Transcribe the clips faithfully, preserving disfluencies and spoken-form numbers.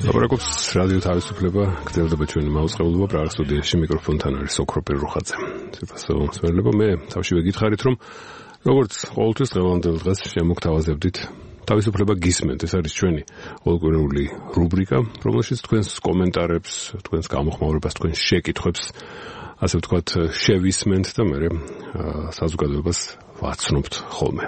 ლაპარაკობს რადიო თავისუფლება, გრძელდება ჩვენი მაუწყებლობა პრაღის სტუდიაში, მიკროფონთან არის ოქროპირ რუხაძე. სიფასო მსმენელებო, მე თავშივე გითხარით, რომ როგორც ყოველთვის დღევანდელ დღეს შემოგთავაზებდით თავისუფლება გისმენთ. ეს არის ჩვენი ყოველკვირეული რუბრიკა, რომელშიც თქვენს კომენტარებს, თქვენს გამოხმაურებას, თქვენს შეკითხვებს, ასე ვთქვათ, შევისმენთ და მე საზოგადოებას ვაცნობთ ხოლმე.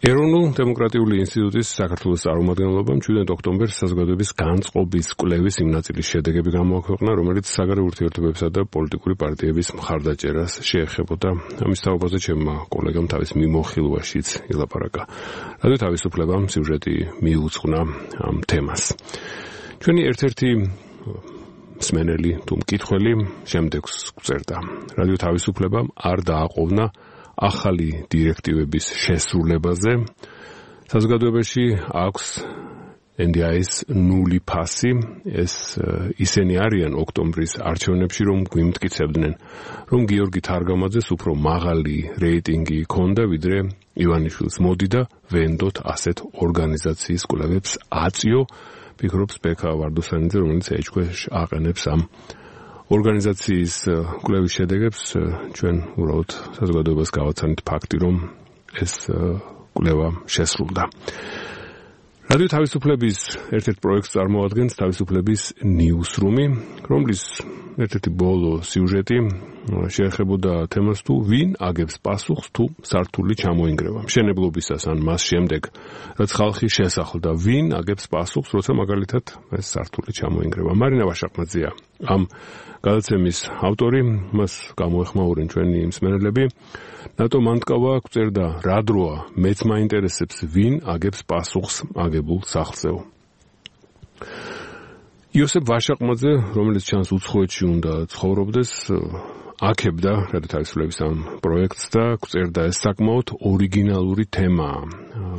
ეროვნულ დემოკრატიული ინსტიტუტის საქართველოს წარმომადგენლობამ ჩვიდმეტ ოქტომბერს საზოგადოების განწყობის კვლევის იმ ნაწილის შედეგები გამოაქვეყნა, რომელიც საგარეო ურთიერთობებსა და პოლიტიკური პარტიების მხარდაჭერას შეეხებოდა. ამის თაობაზე ჩემმა კოლეგამ თავის მიმოხილვაშიც ილაპარაკა. რადგან თავისუფლებამ სიუჟეტი მიუძღვნა ამ თემას. ჩვენი ერთ-ერთი მსმენელი თუ მკითხველი შემდეგს გვწერდა. რადიო თავისუფლებამ არ დააყოვნა ახალი დირექტივების შესრულებაზე. საზოგადოებაში აქვს ენ დი აის ნული ფასი. ეს ისინი არიან ოქტომბრის არჩევნებში, რომ გვიმტკიცებდნენ, რომ გიორგი თარგამაძეს უფრო მაღალი რეიტინგი ჰქონდა, ვიდრე ივანიშვილს. მოდი და ვენდოთ ასეთ ორგანიზაციის კვლევებს აწიო, ფიქრობს ბექა ვარდოსანიძე, რომელიც ეჭქვეშ აყენებს ამ ორგანიზაციის კვლევის შედეგებს. ჩვენ უბრალოდ საზოგადოებას გავაცანით ფაქტი, რომ ეს კვლევა შესრულდა. რადიო თავისუფლების ერთ-ერთ პროექტს წარმოადგენს თავისუფლების ნიუსრუმი, რომლის ერთ-ერთი ბოლო სიუჟეტი შეეხებოდა თემას თუ ვინ აგებს პასუხს თუ სართული ჩამოინგრევა. მშენებლობისას ან მას შემდეგ, რაც ხალხი შესახლდა, ვინ აგებს პასუხს, როცა მაგალითად ეს სართული ჩამოინგრევა. მარინა ვაშაყნაძეა ამ გადაცემის ავტორი, მას გამოეხმაურენ ჩვენი მსმენელები. ნატო მანტკავა გვწერდა, რა დროა, მეც მაინტერესებს, ვინ აგებს პასუხს აგებულ სახლზეო. იოსებ ვაშაყნაძე, რომელიც ჩანს უცხოეთში უნდა ცხოვრობდეს, აქებდა რადიო თავისუფლების ამ პროექტს და გვწერდა, ეს საკმაოდ ორიგინალური თემაა.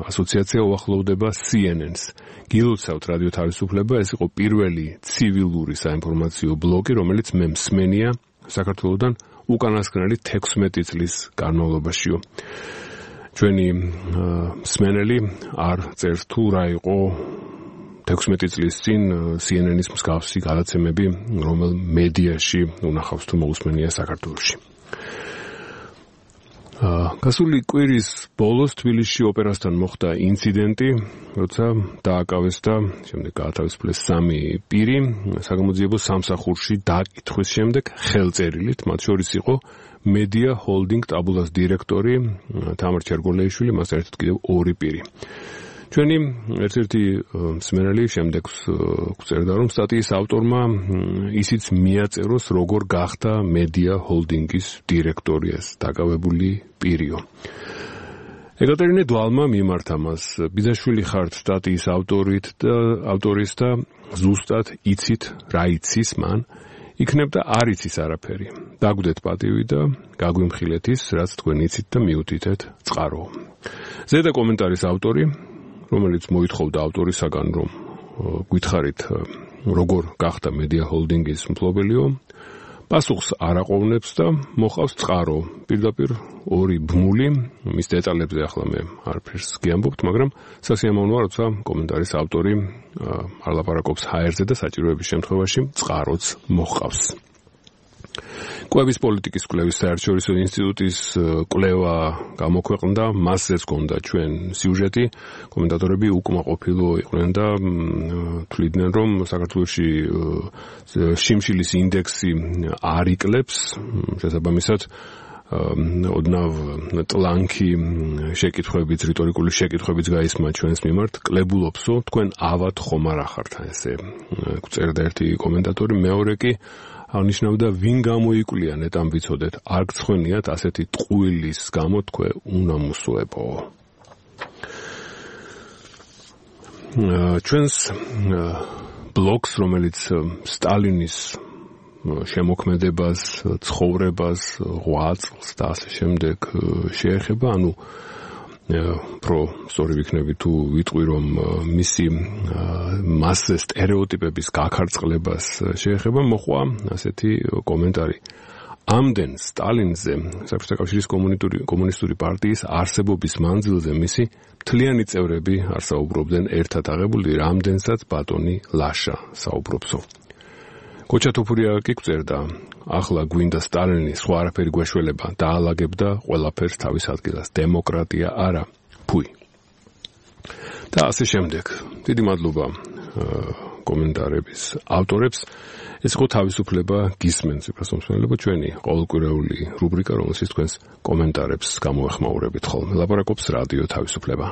ასოციაცია უახლოვდება სი ენ ენს. გილოცავთ რადიო თავისუფლება, ეს იყო პირველი ცივილური საინფორმაციო ბლოგი, რომელიც მე მსმენია საქართველოსთან უკანასკნელი თექვსმეტი წლის განმავლობაშიო. ჩვენი მსმენელი არ წერს თუ რა იყო თექვსმეტი წლის წინ სი ენ ენის მსგავსი გადაცემები, რომელ მედიაში უნახავს თუ მოусმენია საქართველოში. გასული კვირის ბოლოს თბილისში ოპერასთან მოხდა ინციდენტი, როცა დააკავეს და შემდეგ გაათავისუფლეს სამი პირი საგამოძიებო სამსახურში დაკითხვის შემდეგ ხელწერილით, მათ შორის იყო მედია ჰოლდინგ ტაბულას დირექტორი თამარ ჩერგოლეიშვილი, მას ერთად კიდევ ორი პირი. ჩვენი ერთ-ერთი მსმენელი შემდეგს გვწერდა, რომ სტატიის ავტორმა ისიც მიაწეროს, როგორ გახდა მედია ჰოლდინგის დირექტორი ეს დაკავებული პირიო. ეკატერინე დვალმა მიმართა მას, ბიძაშვილი ხართ სტატიის ავტორით და ავტორის და ზუსტად იცით რა იცის მან, იქნებ და არ იცის არაფერი. დაგვდეთ პატივი და გაგვიმხილეთ ის, რაც თქვენ იცით და მიუთითეთ წყარო. ზედა კომენტარის ავტორი, რომელიც მოითხოვდა ავტორისაგან, რომ გითხარით როგორ გახდა მედია ჰოლდინგის მფლობელიო, პასუხს არ აყოვნებს და მოყავს წყარო. პირდაპირ ორი ბმული, მის დეტალებზე ახლა მე არაფერს გიამბობთ, მაგრამ სასიამოვნოა, როცა კომენტარის ავტორი არ ლაპარაკობს ჰაერზე და საჭიროების შემთხვევაში წყაროც მოყავს. კვების პოლიტიკის კვლევის საერთაშორისო ინსტიტუტის კვლევა გამოქვეყნდა, მასზეც ჰქონდა ჩვენ სიუჟეტი. კომენტატორები უკმაყოფილო იყვნენ და თვლიდნენ, რომ საქართველოში შიმშილის ინდექსი არ იკლებს, შესაბამისად ოდნავ ტლანქი შეკითხვებიც, რიტორიკული შეკითხვებიც გაისმა ჩვენს მიმართ, კლებულობსო, თქვენ ავად ხომ არ ახართ, ესე გვწერდა ერთი კომენტატორი, მეორე კი აღნიშნავდა, ვინ გამოიკვლიათ ნეტამ ვიცოდეთ, არ გცხვენიათ ასეთი ტყუილის გამო თქვენ უნამუსოებო. ჩვენს ბლოგს, რომელიც სტალინის შემოქმედებას, ცხოვრებას, ღვაწლს და ასე შემდეგ შეეხება, ანუ პრო სწორი ვიქნები თუ ვიტყვი, რომ მისი მასზე სტერეოტიპების გაქარწყლებას შეეხება, მოხვა ასეთი კომენტარი. ამდენ სტალინზე საბჭოთა კავშირის კომუნისტური პარტიის არსებობის მანძილზე მისი მთლიანი წევრები არ საუბრობდნენ ერთად აღებული, რამდენსაც ბატონი ლაშა საუბრობსო. კოჩა თოფურია კი გწერდა, ახლა გვინდა სტალინი სხვა არაფერი გვეშველება, დაალაგებდა ყველაფერს თავის ადგილას, დემოკრატია არა, ფუი. და ასე შემდეგ. დიდი მადლობა კომენტარების ავტორებს. ეს იყო თავისუფლება გისმენთ, სიბრასომსმენელებო, ჩვენი ყოველკვირეული რუბრიკა, რომელშიც თქვენს კომენტარებს გამოეხმაურებით ხოლმე. ლაპარაკობს რადიო თავისუფლება.